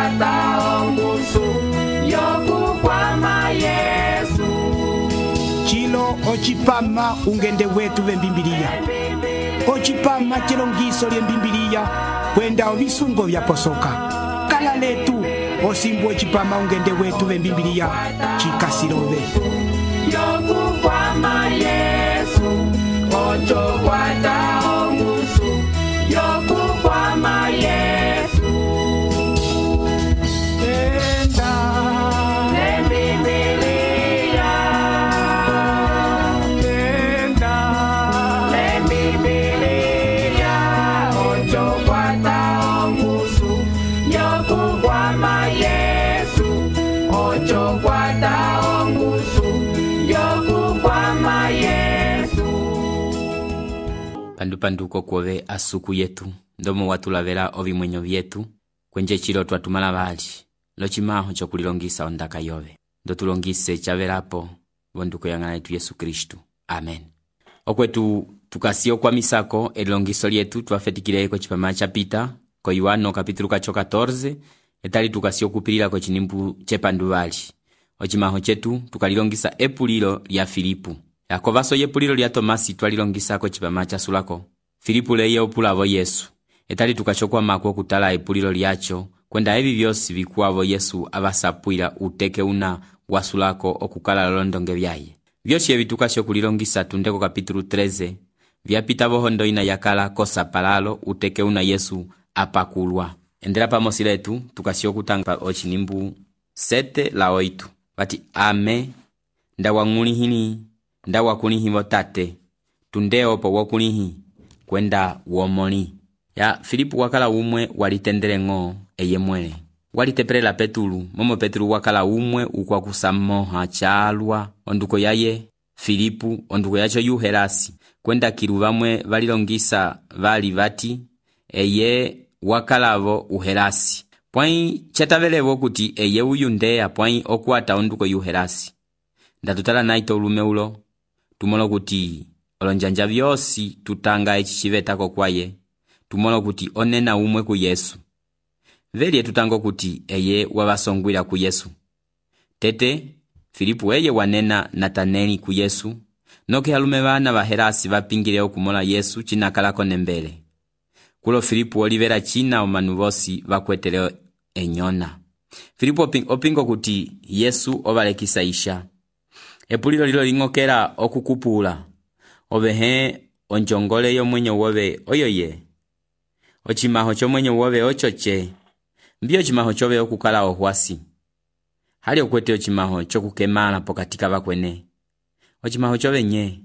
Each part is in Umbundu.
kwata ongusu yokukwama Yesu. Chilo ochipama ungende wetu vembimbilia. Ochipama chilongiso lye mbimbilia kwenda ovisungo vya posoka. Kala letu osimbu ochipama ungende wetu vembimbilia chikasilove. Yokukwama Yesu, ocho kwata ongusu yokukwama Yesu. Enda lembibilia, enda lembibilia, ocho kwata ongusu yokukwama Yesu, ocho kwata ongusu yokukwama Yesu. Pandupanduko kwove asuku yetu ndomo watulavela ovimwenyo vyetu kwenje chilo twatumala vali lochimaho chokulilongisa ondaka yove ndotulongise chavelapo vonduko yang'ana yetu Yesu Kristu. Amen. Okwetu tukasio kwa misako elilongiso lyetu twafetikileko chipama chapita ko Yohano kapitulu kacho 14 etali tukasio kupilila ko chinimbu chepanduvali ochimaho chetu tukalilongisa epulilo lya Filipu yakovaso yepulilo lya Tomasi twalilongisako chipama chasulako Filipu leye opulavo Yesu etali tukachokwa mako kutala epulilo lyacho kwenda evi vyosi vikuavo Yesu avasapwila uteke una wasulako okukala lolondonge vyaye vyosi evi tukasio kulilongisa tundeko kapitulu 13 vyapita vohondo ina yakala kosapalalo uteke una Yesu apakulwa. Endela pamosi letu tukasio kutanga ochinimbu 7 la 8 vati ame ndawang'ulihini ndawakulihivo tate tundeo po wokulihi kwenda womoli ya Filipu wakala umwe walitendele ng'o eye mwele walitepelela Petulu momo Petulu wakala umwe ukwakusamoha chalwa onduko yaye Filipu onduko yacho Yuhelasi kwenda kiluvamwe valilongisa vali vati eye wakalavo Uhelasi pwai chatavelevo kuti eye uyu ndeya pwai okuata onduko Yuhelasi ndatutala naito ulume ulo tumolo kuti olonjanja vyosi tutanga echichivetako kwaye tumolo kuti onena umwe ku Yesu velye tutango kuti eye wavasongwila ku Yesu tete Filipu eye wanena Nataneli ku Yesu noke halume vana vahelasi vapingile okumola Yesu chinakalako nembele kulo Filipu olivera china omanu vosi vakwetele enyona Filipu opingo kuti Yesu ovalekisa isha epulilo lilo ling'okela okukupula ovehe onjongole yomwenyo wove oyoye ochimaho chomwenyo wove ochoche mbio chimaho chove okukala ohwasi hali okwete ochimaho chokukemala pokatika vakwene ochimaho chove nye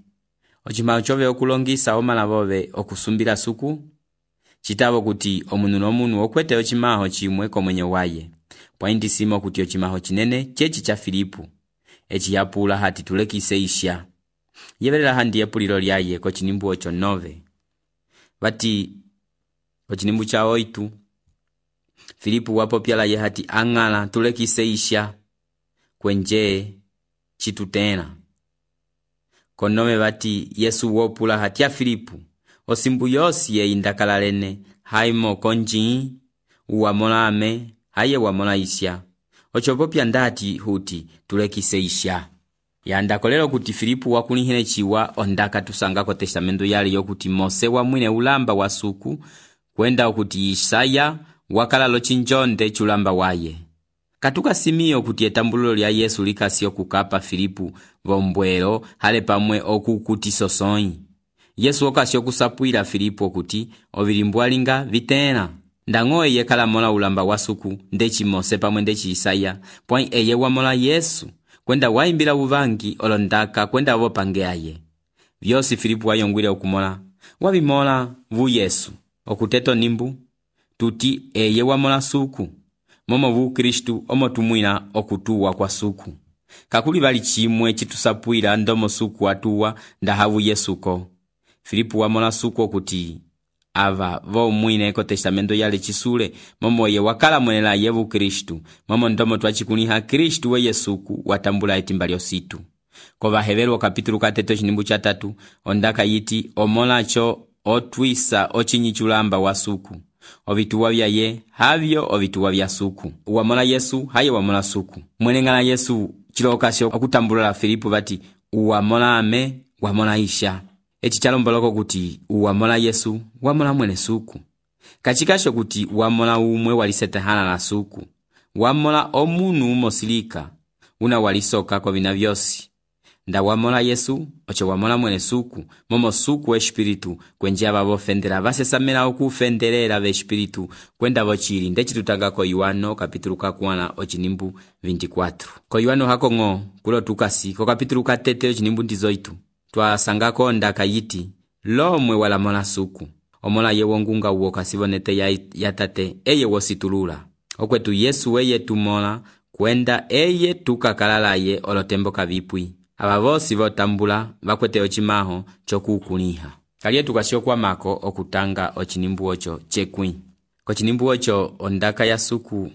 ochimaho chove okulongisa omala vove okusumbila suku chitavo kuti omunu nomunu okwete ochimaho chimwe komwenyo waye pwaindisimo kuti ochimaho chinene chechi cha Filipu echiyapula hati tulekise isha yevelela handi epulilo lyaye ko chinimbu ocho 9 vati ko chinimbu cha 8 Filipu wapopyala ye hati ang'ala tulekise isha kwenje chitutena konome vati Yesu wopula hati ya Filipu osimbu yosi ye indakalalene haimo konji uwamolame haye wamola isha ochopopya ndati huti tulekise isha yandakolelo kuti Filipu wakulihile chiwa ondaka tusangako testamento yali yokuti Mose wamwine ulamba wa suku kwenda okuti Isaya wakala lochinjonde chulamba waye katuka simio kuti etambululo lya Yesu likasio kukapa Filipu vombwelo hale pamwe okukuti sosonyi Yesu okasio kusapwila Filipu okuti ovilimbwalinga vitena ndang'o eye kala mola ulamba wa suku ndechi Mose pamwe ndechi Isaya pwai eye wamola Yesu kwenda waimbila uvangi olondaka kwenda vopange aye vyosi Filipu wayongwile okumola wabimola vu Yesu okuteto nimbu tuti eye wamola suku momo vu Kristu omotumwina okutuwa kwa suku kakuli vali chimwe chitusapwila ndomo suku atuwa ndahavu Yesuko Filipu wamola suku okuti ava vo mwine eko testamento yale chisule momo ye wakala mwenela yevu Kristu momo ndomo twachikuliha Kristu we Yesuku watambula etimba lyositu kova Hebelo kapitulu 3 chinimbu cha 3 ondaka yiti omolacho otwisa ochinyichulamba wasuku ovituwa vyaye havyo ovituwa vya suku. Uwamola Yesu haye wamola suku. Mwene ng'ala Yesu chilokasyo okutambulula Filipu bati uwamola ame wamola isha. Eci chalomboloko kuti uwamola Yesu wamola mwene suku. Kachikasho kuti wamola umwe walisetehana na suku. Wamola omunu umosilika una walisoka kwa vina vyosi. Nda wamola Yesu ocho wamola mwene suku, momo suku we espiritu kwenje ababofendera basesamela okufenderera ve espiritu kwenda bochiri. Ndechi tutanga ko Yohano kapitulu kakwana ochinimbu 24. Ko Yohano hakongo kulo tukasi ko kapitulu katete ochinimbu ndizoitu. Twasangako ndaka yiti lomwe walamola suku. Omola ye wongunga uwo kasibonete ya tate eye wositulula. Okwetu Yesu weye tumola kwenda eye tukakalalaye olotembo kavipwi. Aba bosi botambula bakwete ochimaho chokukuniha. Kaliye tukasyo kwa mako okutanga ochinimbu ocho chekwi. Ko chinimbu ocho ondaka ya suku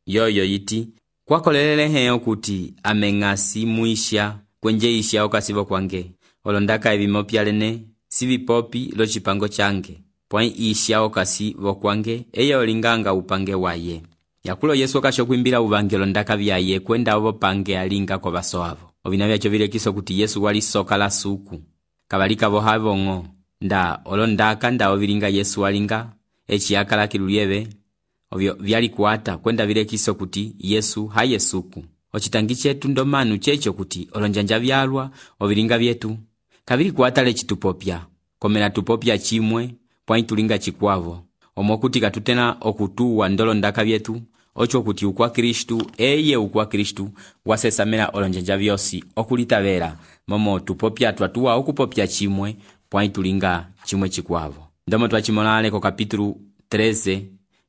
yoyo yiti kwakolelele heo kuti amengasi muisha kwenje isha okasibo kwange. Olondaka ebimopyalene sivipopi lo chipango change. Pwai isha okasi vokwange eye olinganga upange waye. Yakulo Yesu okasho kwimbila uvangelo ndaka vyaye kwenda ovo pange alinga kwa baso avo. Ovina vyacho vile kiso kuti Yesu wali soka la suku. Kabalika vohavo ngo. Nda olondaka nda ovilinga Yesu walinga. Echi yakala kilulieve. Ovyo vyali kuata kwenda vile kiso kuti Yesu haye suku. Ochitangi chetu ndomanu checho kuti olonjanja vyalwa ovilinga vyetu. Kabili kuata lechi tupopya. Komela tupopya chimwe pwai tulinga chikwavo. Omokuti katutena okutuwa ndolo ndaka vyetu. Ocho kuti ukwa Kristu eye ukwa Kristu wasesamela olonjanja vyosi okulitavera momo tupopya twatuwa okupopya chimwe pwai tulinga chimwe chikwavo. Ndomo twachimolale ko kapitulu 13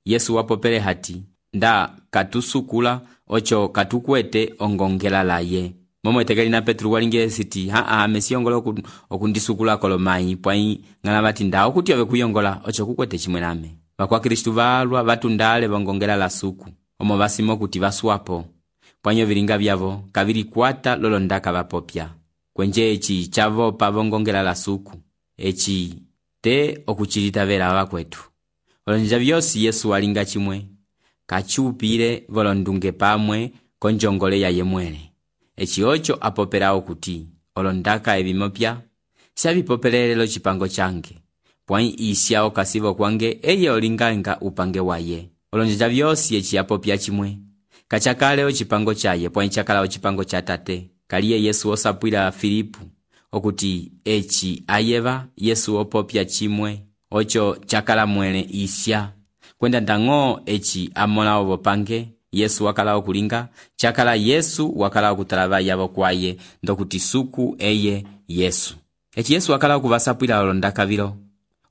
Yesu wapopele hati nda katusukula ocho katukwete ongongela laye. Momo etekeli na Petru walinge siti mesiyongola okundisukula kolomai pwai ngana bati nda okuti ove kuyongola ocho kukwete chimwe name. Bakwa Kristu valwa batundale bongongela la suku. Omo basimo kuti baswapo. Pwanyo vilinga vyavo kabili kwata lolo ndaka bapopya. Kwenje echi chavo pa bongongela la suku. Echi te okuchilita vera wakwetu. Olonja vyosi Yesu walinga chimwe. Kachupire volondunge pamwe konjongole ya yemwele. Echi ocho apoperao kuti olondaka ebimopya shabipopelele lo chipango change. Pwai isya okasivo kwange eye olinganga upange waye. Olonja vyosi echi apopya chimwe. Kachakale ochipango chaye pwai chakala ochipango cha tate. Kaliye Yesu osapwila Filipu okuti echi ayeva Yesu opopya chimwe ocho chakala mwele isya. Kwenda ndango echi amola obopange Yesu wakala okulinga chakala Yesu wakala okutalaba yabo kwaye ndokuti suku eye Yesu. Echi Yesu wakala okubasapwila olondaka vilo.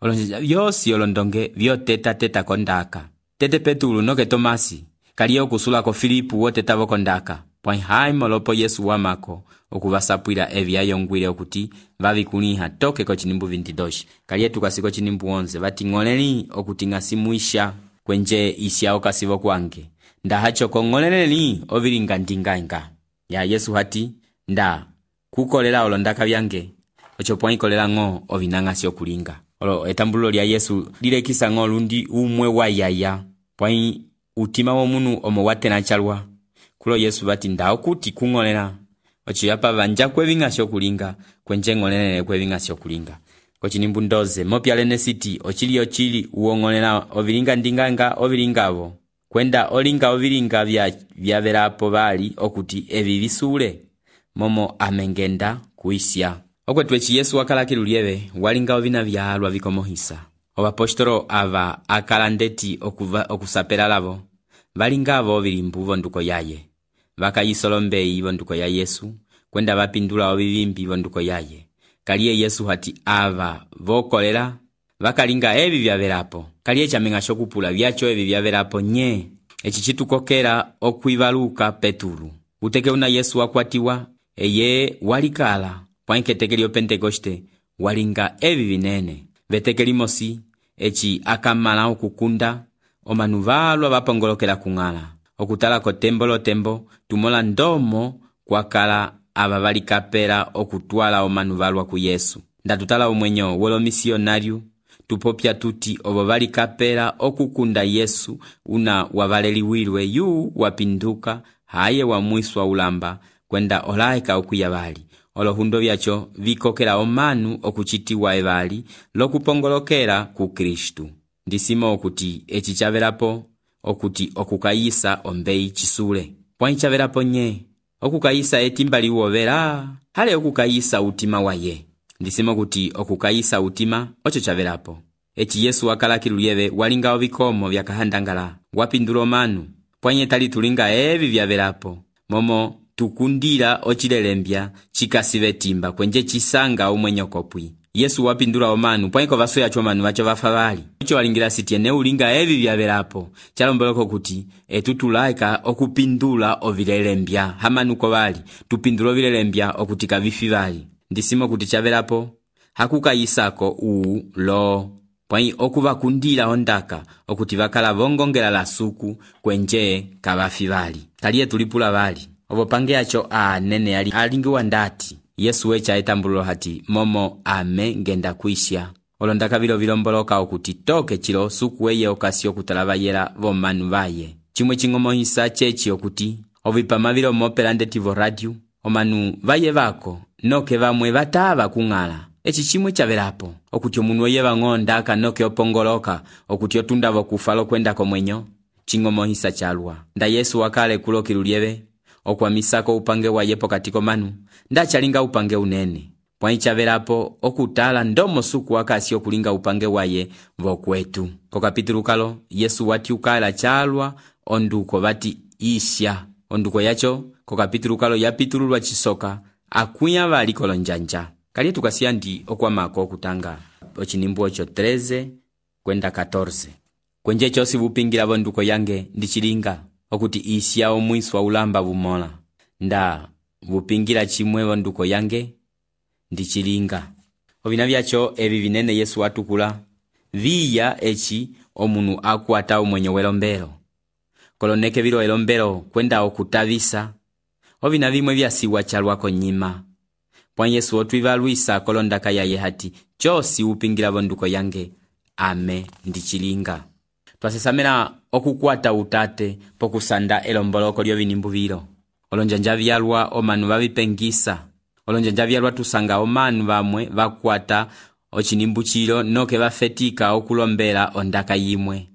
Olonja vyosi olondonge vyoteta kondaka. Tete Petulu noke Tomasi kaliye okusula ko Filipu wotetavo kondaka. Pwai haimo lopo Yesu wamako okubasapwila evya yongwile okuti vavikuniha toke ko chinimbu 22. Kaliye tukasiko chinimbu 11 bati ngoleli okuti ngasimuisha kwenje isya okasivo kwange. Nda hacho kongoleleli ovilinga ndingainga. Ya Yesu hati nda kukolela olondaka vyange. Ocho pwai kolela ngo ovinanga sio kulinga. Olo etambulo lya Yesu lilekisa ngo lundi umwe wa yaya. Pwai utima womunu omo watena chalwa. Kulo Yesu bati nda okuti kungolela. Ocho yapa vanja kwevinga sio kulinga. Kwenje ngolelele kwevinga sio kulinga. Kochinimbu 12 mopyalene siti ochili uongolela ovilinga ndinganga ovilingavo. Kwenda olinga ovilinga vya verapo bali okuti evi visule. Momo amengenda kuisya. Okwetwechi Yesu wakala kilulieve walinga ovina vyalwa vikomohisa. Obapostolo ava akala ndeti okusapela lavo. Valingavo ovilimbu vonduko yaye. Vakayisolombei vonduko ya Yesu. Kwenda vapindula ovivimbi vonduko yaye. Kaliye Yesu hati ava vokolela. Vakalinga evi vyaverapo. Kaliye chamenga shokupula vyacho evi vyaverapo nye. Echi chitukokera okwivaluka Peturu. Uteke una Yesu wakwatiwa. Eye walikala. Pwanketekeli Pentekoste walinga evi vinene. Vetekeli mosi echi akamala okukunda omanuvalwa vapongolokela kungala. Okutala ko tembo tumola ndomo kwakala aba valikapela okutwala omanuvalwa ku Yesu. Ndatutala omwenyo wolo misionariu tupopya tuti ovo vali kapela okukunda Yesu una wavaleliwilwe yu wapinduka haye wamwiswa ulamba kwenda olaeka okuya vali. Olohundo vyacho vikokela omanu okuchitiwa evali lokupongolokela ku Kristu. Ndisimo okuti eci chavelapo okuti okukayisa ombeyi chisule. Pwani chavelapo nye okukayisa etimba liwovela hale okukayisa utima waye. Ndisimo kuti okukayisa utima ocho chavelapo. Eci Yesu wakalakilulyewe walinga ovikomo vyakahandangala wapindula omanu. Pwanye tali tulinga evi vyavelapo momo tukundila ochilelembya chikasive timba kwenje chisanga umwenyokopwi. Yesu wapindula omanu pwanyeko vaso yacho manu vacho vafa vali. Ucho walingira sitiene ulinga evi vyavelapo chalomboloko kuti etutulaika okupindula ovilelembya hamanuko vali tupindula ovilelembya okutika vifi vali. Ndisimo kuti chavelapo hakukayisako uu lo pwanyi okuvakundila ondaka okuti vakala vongongela la suku kwenje kavafi vali. Taliye tulipula vali ovo pange yacho nene alingiwa ndati Yesu wecha etambululo hati momo ame ngenda kuisha. Olondaka vilo vilomboloka okuti toke chilo suku weye okasi okutalava yela vomanu vaye. Chimwe chingomohisa chechi okuti ovipama vilo mopela ndetivo radio omanu vaye vako noke vamwe vatava kungala. Echi chimwe chavelapo okuti omunu weye vang'onda noke opongoloka okuti otundavo kufalo kwenda komwenyo chingomohisa chalwa. Nda Yesu wakale kulokilulyewe okwamisako upange waye pokati komanu ndachalinga upange unene. Pwani chavelapo okutala ndomo suku wakasi okulinga upange waye vokwetu. Kokapitulu kalo Yesu wati ukala chalwa onduko vati isya. Onduko yacho kokapitulu kalo yapitululwa chisoka akuya vali kolonjanja. Kali tukasiya ndi okwamako okutanga ochinimbu ocho 13 kwenda 14. Kwenje chosi vupingira vonduko yange ndichilinga okuti isya omwiswa ulamba bumola. Nda vupingira chimwe vonduko yange ndichilinga. Ovina vyacho evi vinene Yesu watukula viya echi omunu akuata umwenyo welombelo. Koloneke vilo elombelo kwenda okutavisa ovina vimwe vyasiwa chalwako nyima. Pwani Yesu otwivalwisa kolondaka yaye hati chosi upingira vonduko yange ame ndichilinga. Twasesamela okukwata utate pokusanda elomboloko lyo vinimbu vilo. Olonjanja vyalwa omanu vavipengisa. Olonjanja vyalwa tusanga omanu vamwe vakwata ochinimbu chilo noke vafetika okulombela ondaka yimwe.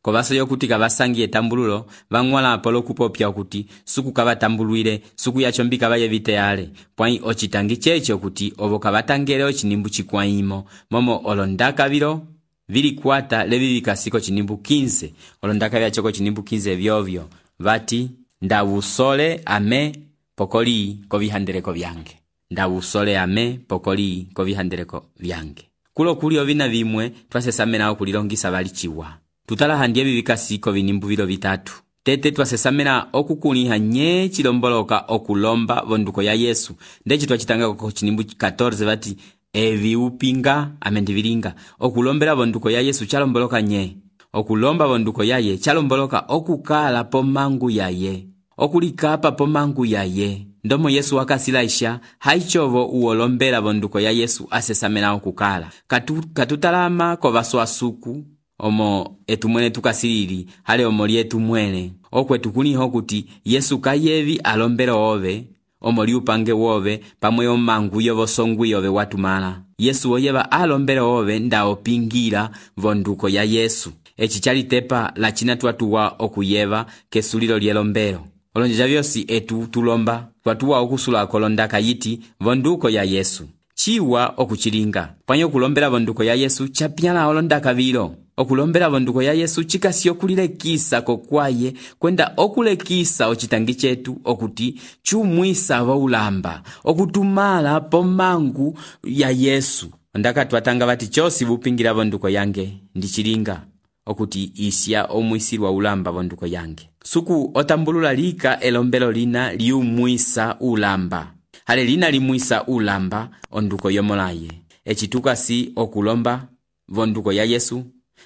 Kovaso yokutika vasangi etambululo vangwala polo kupopya okuti suku kavatambulwile suku yacho mbika vayevite yale. Pwani ochitangi cheche okuti ovo kavatangele ochinimbu chikwaimo momo olondaka vilo vili kwata levi vikasiko chinimbu 15. Olondaka vyachoko chinimbu 15 vyovyo vati ndawusole ame pokoli kovihandeleko vyange. Ndawusole ame pokoli kovihandeleko vyange. Kulo kuli ovina vimwe twasesamela okulilongisa vali chiwa. Tutala handie vikasiko vinimbu vilo vitatu. Tete twasesamela okukuniha nye chilomboloka okulomba vonduko ya Yesu. Ndechi twachitanga kwa chinimbu 14 vati evi upinga amendivilinga. Okulombela vonduko ya Yesu chalomboloka nye. Okulomba vonduko yaye chalomboloka okukala pomangu yaye. Okulikapa pomangu yaye. Ndomo Yesu wakasilaisha haichovo uolombela vonduko ya Yesu asesamela okukala. Katutalama kwa vaswa suku. Omo etumwene tukasilili hale omoli etumwene okwe tukuniho kuti Yesu kayevi alombela ove omoli upange wove pamwe omangu yovosongu yove watumala. Yesu oyeva alombela ove nda opingira vonduko ya Yesu. Echi chalitepa la china tuatuwa okuyeva kesulilo lielombelo. Olonjeja vyosi etu tulomba tuatuwa okusula kolondaka yiti vonduko ya Yesu. Chiwa okuchilinga. Pwanye okulombela vonduko ya Yesu chapyala olondaka vilo. Okulombela vonduko ya Yesu chikasi okulilekisa kokwaye kwenda okulekisa ochitangi chetu okuti chumwisa vaulamba okutumala pomangu ya Yesu. Ondaka tuatanga vati chosi vupingira vonduko yange ndichilinga okuti isya omwisirwa ulamba vonduko yange. Suku otambulula lika elombelo lina liumwisa ulamba. Hale lina limwisa ulamba onduko yomolaye. Echitukasi okulomba vonduko ya Yesu.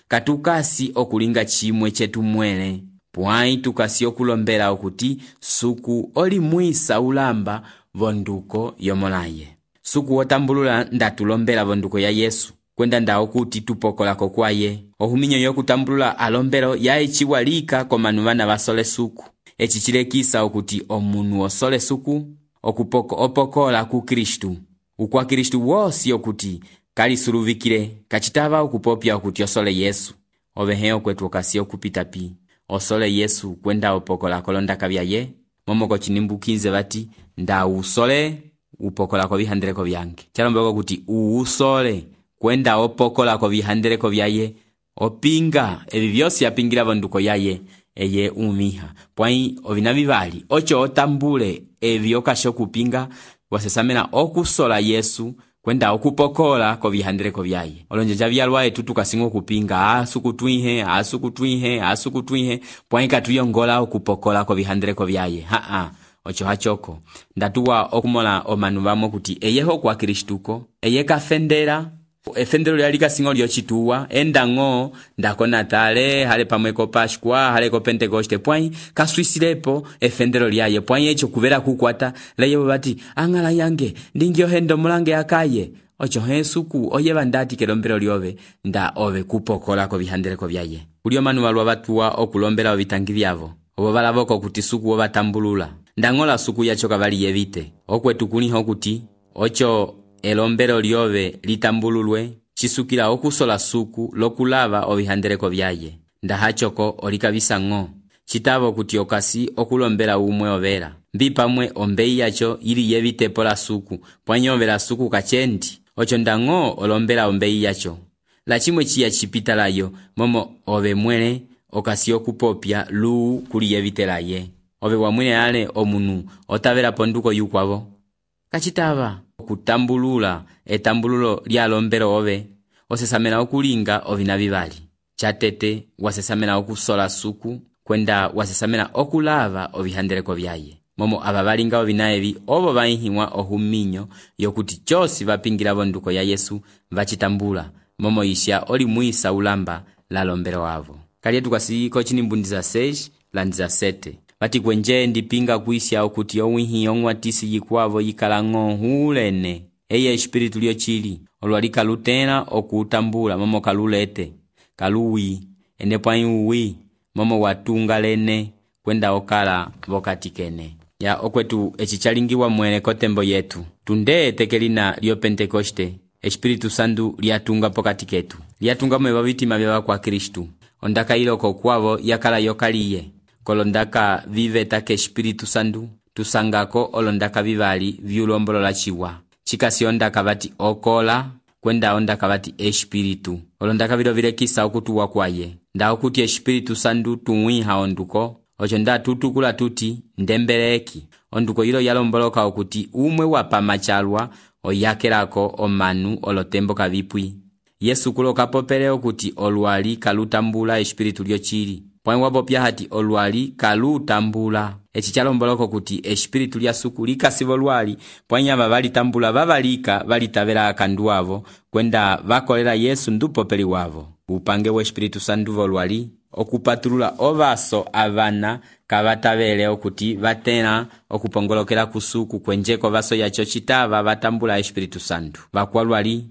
Katukasi okulinga chimwe chetu mwele. Pwai tukasi okulombela okuti suku olimwisa ulamba vonduko yomolaye. Suku otambulula ndatulombela vonduko ya Yesu. kwenda ndawo kuti tupokolako kwaye. Ohuminyo yokutambulula alombelo yaye chiwalika komanu bana basole suku. Eci chilekisa okuti omunu osole suku opokola ku Kristu. Ukwa Kristu wosi okuti kalisuluvikile kachitaba okupopya okuti osole Yesu. Obeheo kwetu okasi okupitapi osole Yesu kwenda opokola kolondaka byaye. Momoko chinimbukinze bati nda usole upokola ko bihandeleko byange. Chalombeko kuti uusole kwenda opokola ko bihandeleko byaye. Opinga ebi byosi yapingira bonduko yaye eye umiha. Pwai ovinabibali ocho otambule ebi okasho kupinga wasesamena okusola Yesu kwenda okupokola ko bihandeleko byaye. Olonjeja byalwaye tutukasingo kupinga asukutwihe pwai katuyongola okupokola ko bihandeleko byaye. Ocho hachoko ndatuwa okumola omanu bamo kuti eyeho kwa Kristuko eye kafendera efendero lyalika singo lyochituwa endango ndako Natale hale pamweko Pascua hale ko Pentecoste pwai kaswisilepo efendero lyaye pwai echo kubera kukwata layo bati angala yange ndingyo hendo mulange akaye. Ocho hesuku oye bandati kelombero lyobe nda ove kupokola ko bihandeleko byaye. Ulio manu balwa batuwa okulombera obitangi byavo obo balaboko kuti suku obatambulula ndangola suku yacho kabali yebite okwetu kuniho kuti ocho elombero lyobe litambululwe chisukila okusola suku lokulava obihandeleko byaye. Ndahachoko olikabisa ngo chitabo kuti okasi okulombera umwe obera mbipamwe ombei yacho ili yebite pola suku pwanyovera suku kachendi. Ocho ndango olombera ombei yacho la chimwe chiya chipita layo momo obe mwele okasi okupopya lu kuli yebite laye. Obe wamwine ale omunu otavera ponduko yukwabo kachitaba okutambulula etambululo lya lombero obe osesamena okulinga ovinabibali chatete wasesamena okusola suku kwenda wasesamena okulava obihandeleko byaye. Momo ababalinga obinaebi obo bainhiwa ohuminyo yokuti chosi bapingira bonduko ya Yesu bachitambula momo isya oli muisa ulamba la lombero avo. Kali tukasiko chinimbundiza 6 landiza 7 bati kwenje ndipinga kuisya okuti owihi ongwatisi yikwavo yikalango hulene eye espiritu lyo chili olwalika lutena okutambula momo kalulete kaluwi enepwa uwi momo watunga lene kwenda okala vokatikene ya okwetu echichalingiwa mwele kotembo yetu tunde tekelina lyo Pentecoste espiritu sandu liatunga pokati ketu liatunga mwe bitima bya kwa Kristu ondaka iloko kwavo yakala yokaliye kolondaka vive take espiritu sandu tusangako olondaka bibali vyulombolola chiwa chikasi ondaka bati okola kwenda ondaka bati espiritu olondaka biro vilekisa okutuwa kwaye nda okuti espiritu sandu tuwiha onduko ocho nda tutukula tuti ndembeleki onduko yilo yalomboloka okuti umwe wapamachalwa oyakelako omanu olotembo kabipwi Yesu kuloka popele okuti olwali kalutambula espiritu lyo chili pwai wapopya hati olwali kalutambula echi chalomboloko kuti espiritu lya suku likasibo lwali pwai aba balitambula babalika balitavera akanduavo kwenda bakolera Yesu ndupopeli wavo upange wa espiritu sanduvo lwali okupatulula ovaso avana kabatavele okuti batena okupongolokera kusuku kwenjeko vaso yacho chitava batambula espiritu sandu bakwalwali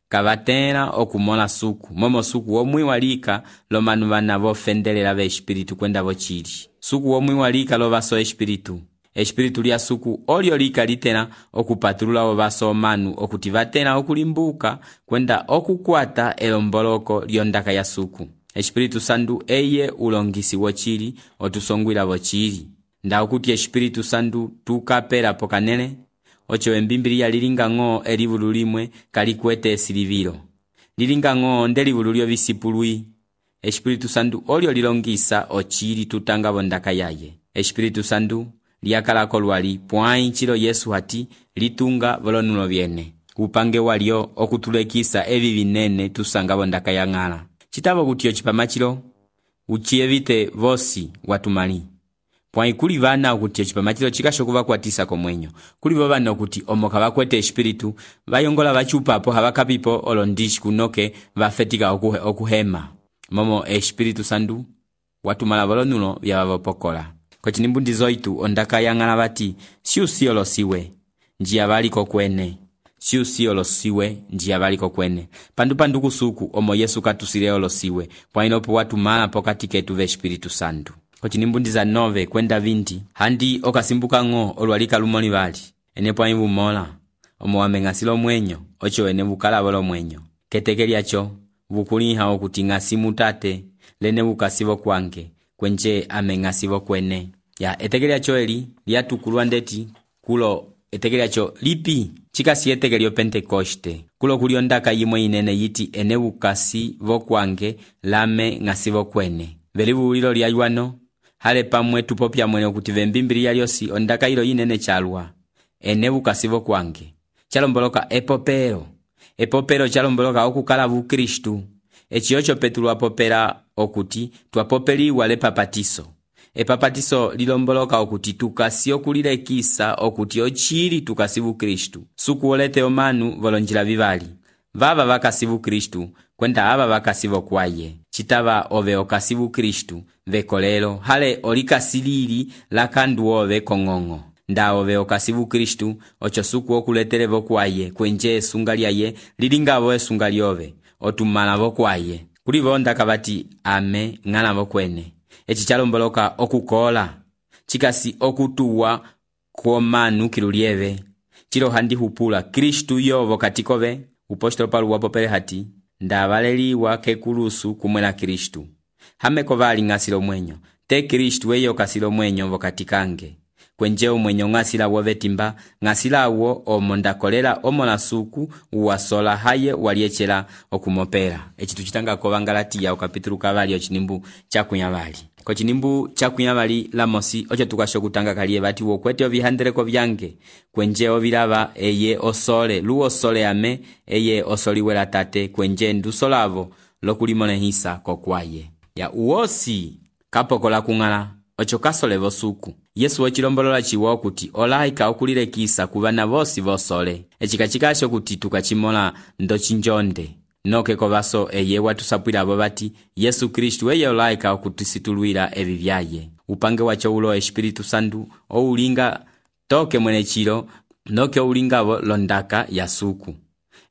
kabatena okumona suku momo suku omwi walika lo manu bana bofendelela be espiritu kwenda bochili suku omwi walika lo vaso espiritu lya suku olyo lika litena okupatulula ovaso manu okuti batena okulimbuka kwenda okukwata elomboloko lyondaka ya suku espiritu sandu eye ulongisi wochili otusongwila bochili nda okuti espiritu sandu tukapera pokanele ocho embimbiliya lilinga ngo elivulu limwe kalikwete silivilo lilinga ngo ndelivulu lyo visipului espiritu sandu olyo lilongisa ochili tutanga bondaka yaye espiritu sandu liakalako lwali pwai chilo Yesu hati litunga bolonulo byene upange walyo okutulekisa evi binene tusanga bondaka ya ngala chitabo kutiyo chipamachilo uchievite vosi watumali pwai kuli vana okuti chipamachilo chikashokuva kwatisa komwenyo kuli vana okuti omoka bakwete espiritu bayongola bachupa po habakapipo olondishi kunoke bafetika okuhema momo espiritu sandu watumala bolonulo byabavopokola kochinimbundizo itu ondaka yangala bati siusiolo siwe njia baliko kwene siusi olosiwe ndiya baliko kwene pandu kusuku omo Yesu katusile olosiwe pwainopo watumala pokati ketu ve Espiritu Santu. Kocinimbundiza 9 kwenda 20 handi okasimbuka ng'o olwalika lumoli bali ene pwa ibumola omo wameng'asilo mwenyo ocho ene bukala bolo mwenyo keteke lyacho bukuliha okuti ng'asimu tate lene bukasibo kwange kwenje ameng'asibo kwene ya eteke lyacho eli lyatukulwa ndeti kulo eteke lyacho lipi chikasi eteke lyo Pentekoste kulo kuliondaka yimwe inene yiti ene bukasi bokwange lame ng'asibo kwene velibulilo lya ywano hale pamwe tupopya mwene okuti vembimbili lyosi ondaka ilo yinene chalwa ene bukasibo kwange chalomboloka epopero chalomboloka okukala bukristu echiyocho Petro apopera okuti twapopeliwa lepapatiso epapatiso lilomboloka okuti tukasi okulilekisa okuti ochili tukasi bukristu sukuolete omanu volonjila bibali vava bakasi bukristu kwenda aba bakasi bokwaye chitaba ove okasi bukristu vekolelo hale olikasilili lakandu ove kong'ong'o nda ove okasi bukristu ocho suku okuletere bokwaye kwenje esunga lyaye lilingabo esunga lyove otumala bokwaye kuli bondaka bati ame ng'ala bokwene echi chalomboloka okukola chikasi okutuwa kwomanu kilulieve chilo handi hupula Kristu yovo katikobe upostolo Paulo wapopele hati ndabaleliwa kekulusu kumwela Kristu hameko bali ng'asilo mwenyo te Kristu eyo kasilo mwenyo vokatikange kwenje omwenyo ng'asila wovetimba ng'asila wo omondakolela omonasuku uwasola haye waliechela okumopera echitu chitanga ko Bangalatiya okapitulu kabali ochinimbu chakunyabali kochinimbu chakunyabali lamosi ocho tukasho kutanga kaliye bati wokwete obihandereko byange kwenje obilaba eye osole luosole ame eye osoliwela tate kwenje ndusolavo lokulimonehisa kokwaye ya uosi kapokola kung'ala ocho kasole bosuku Yesu wechilombolola chiwa okuti olaika okulilekisa kubana bosi bosole echikachikasho kuti tukachimola ndochinjonde noke kobaso eye watusapwila abo bati Yesu Kristu eye olaika okutisitulwila ebi byaye upange wacho ulo Espiritu Santu oulinga toke mwene chilo noke oulingabo londaka ya suku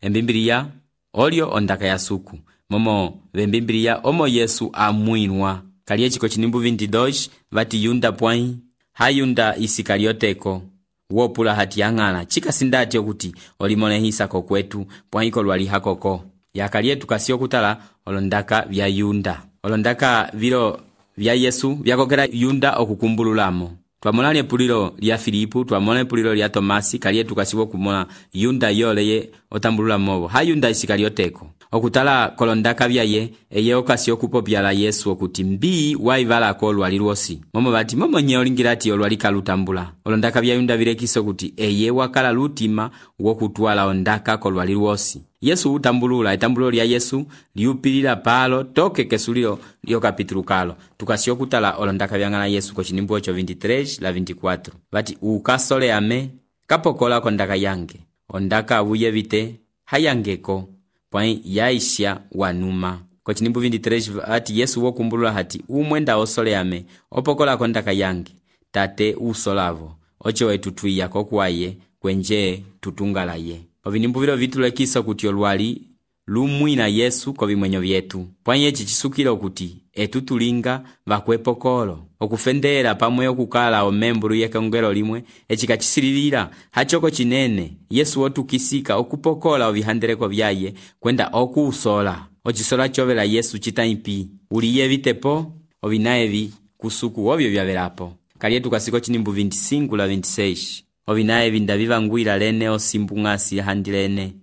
embimbiliya olio ondaka ya suku momo bembimbiliya omo Yesu amwinwa kaliye chiko chinimbu 22 bati yunda pwai hayunda Isikarioteko wopula hati yang'ala chikasindati okuti olimonehisa kokwetu pwaiko lwali hakoko yakaliye tukasio kutala olondaka vya yunda olondaka vilo vya Yesu vyakokera yunda okukumbululamo twamona epulilo lya Filipu twamona epulilo lya Tomasi kaliye tukasiwo kumona yunda yoleye otambulula mobo hayunda Isikarioteko okutala kolondaka byaye eye okasio kupopyala Yesu okuti mbi waivala ko lwali lwosi momo bati momo nye olingirati olwalika lutambula olondaka bya yunda birekiso okuti eye wakala lutima wokutwala ondaka ko lwali lwosi Yesu utambulula etambulo lya Yesu liupilila palo toke kesulilo lyo kapitulu kalo tukasio kutala olondaka byang'ala Yesu ko chinimbu 23 la 24 bati ukasole ame kapokola kondaka yange ondaka buyevite hayangeko pwai yaisha wanuma ko chinimbu 23 ati Yesu wokumbulula hati umwenda osole ame opokola kondaka yange tate usolavo ocho wetu twiya kokwaye kwenje tutungalaye ovinimbu vilo vitulekisa kuti olwali lumwina Yesu ko bimwenyo byetu pwai echi chisukilo kuti etutulinga bakwepokolo okufendera pamwe okukala omemburu yekongelo limwe echikachisililira hachoko chinene Yesu otukisika okupokola obihandereko byaye kwenda okuusola ochisola chovela Yesu chitaipi uliye vitepo obinaevi kusuku obyo byabelapo kaliye tukasiko chinimbu 25 la 26 obinaevi ndabivangwila lene osimbung'asi handilene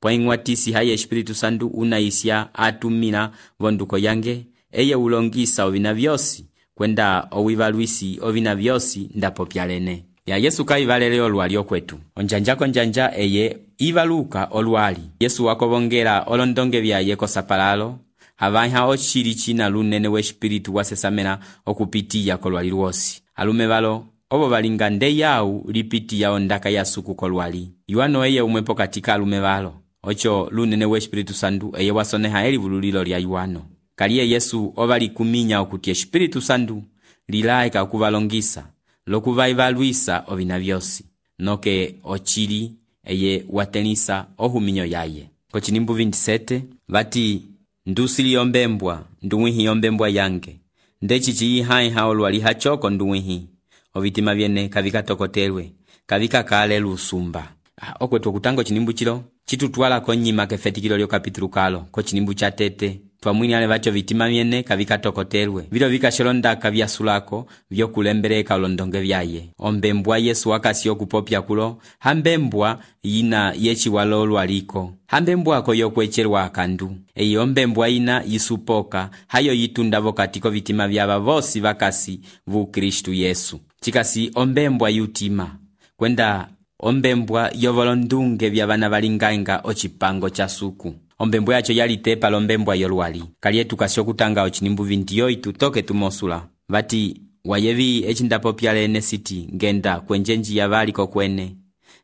pwaing'watisi haye Espiritu Santu unaisya atumila vonduko yange eye ulongisa ovina byosi kwenda owibalwisi ovina byosi ndapopyalene ya Yesu kaivalele olwali okwetu onjanjako njanja eye ivaluka olwali Yesu wakobongela olondonge byaye kosapalalo havanya ochili china lunene we Espiritu wasesamela okupitiya kolwali lwosi alume balo obo balinga nde yau lipitiya ondaka ya suku kolwali yuano eye umwepo katika alume balo ocho lunene we Espiritu Santu eye wasoneha elivululilo lya yuano kaliye Yesu obali kuminya okuti Espiritu Santu lilaika okuvalongisa lokuvaivalwisa ovina byosi noke ochili eye watelisa ohuminyo yaye. Kocinimbu 27 vati ndusili yombembwa nduwihi yombembwa yange ndeci ciyiha olwali hachoko nduwihi ovitima vyene kavikatokotelwe kavikakale lusumba. Okwetu kutango cinimbu cilo citutwala konyima kefetikilo lyo kapitulu kalo kocinimbu cha tete twamwini ale vacho vitima vyene kavikatokotelwe vilo vikasholondaka vyasulako vyokulembereka olondonge vyaye. Ombembwa Yesu wakasi okupopya kulo hambembwa yina yechiwalo olwaliko hambembwako yokwecherwa akandu eyi ombembwa yina yisupoka hayo yitundavo katiko vitima vyava vosi vakasi vu Kristu Yesu. Chikasi ombembwa yutima kwenda ombembwa yovolondunge vya vana valingainga ocipango cha suku. Ombembwa yacho yalitepa lombembwa yolwali kalietu kasio kutanga ocinimbu 28 toke tumosula vati wayevi ecindapopya lene siti ngenda kwenjenji ya valiko kwene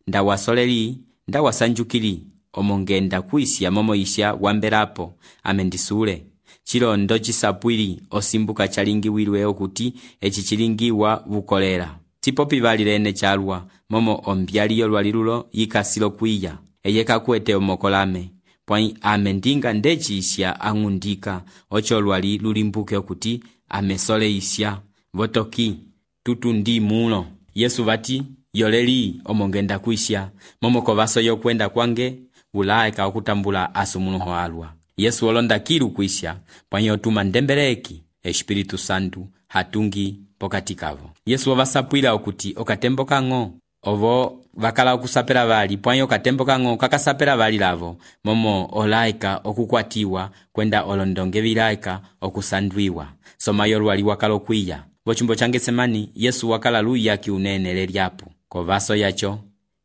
ndawasoleli ndawasanjukili omongenda kuisya momoisya wamberapo amendisule chilondo cisapwili osimbuka chalingiwilwe okuti eci chilingiwa vukolera sipopi vali lene chalwa momo ombyali yolwali lulo yikasilo kwiya eyeka kuete omokolame pwai amendinga ndeci isya angundika ocho lwali lulimbuke okuti amesole isya votoki tutu ndi mulo. Yesu vati yoleli omongenda kuisya momo kovaso yokwenda kwange ulaeka okutambula asumunuho alwa. Yesu olonda kilu kuisya pwai otuma ndembeleki Espiritu Santu hatungi pokati kavo. Yesu ovasapwila okuti okatembo kang'o ovo vakala okusapela vali pwai okatembo kang'o kakasapela vali lavo momo olaika okukwatiwa kwenda olondonge vilaika okusandwiwa. Soma yolwali wakala okwiya vochumbo cha Getsemani Yesu wakala luya kiunene lelyapo kovaso yacho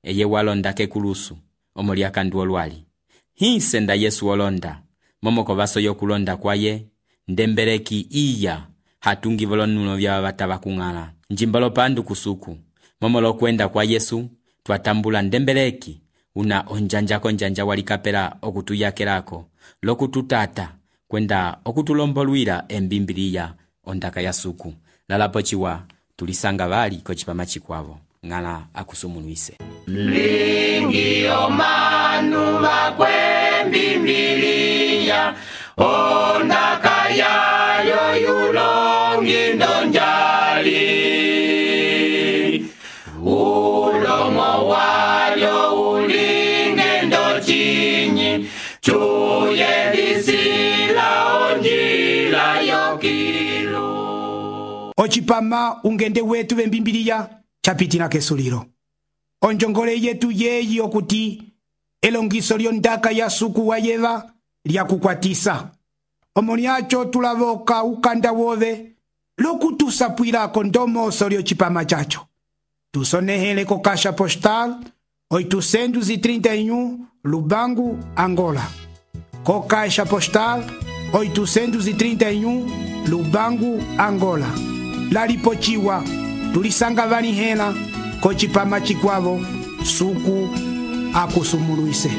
eye walonda kekulusu omoli akandu olwali hinsenda Yesu olonda momo kovaso yokulonda kwaye ndembeleki iya hatungi volonulo vya vatava kung'ala njimbalo pandu kusuku momo lokwenda kwa Yesu twatambula ndembeleki una onjanja walikapela okutuyakelako lokututata kwenda okutulombolwila embimbiliya ondaka ya suku lalapo chiwa tulisanga vali kochipama chikwavo ng'ala akusumulwise lingi omanu makwembimbiliya ondaka yayo yulongi ndonjali ulomo walyo ulinge ndochinyi chuye lisila onjila yokilu. Ochipama ungende wetu vembimbiliya chapitina kesuliro onjongole yetu yeyi okuti elongiso lyondaka ya suku wayeva lyakukwatisa omoni acho tulavoka ukanda wove lokutusapwilako ndomoso lyochipama chacho tusonehele ko Caixa Postal 831 Lubangu, Angola. Ko Caixa Postal 831 Lubangu, Angola. Lalipochiwa tulisanga vanihela kochipama chikwavo suku akusumulwise.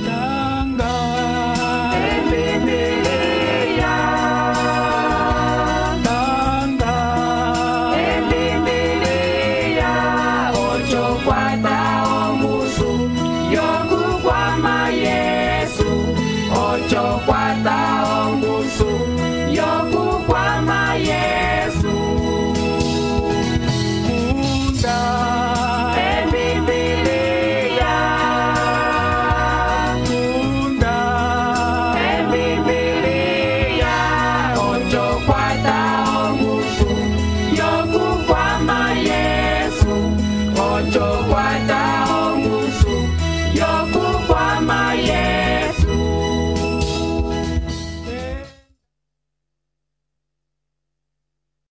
Yo kukwama Yesu, ocho kwata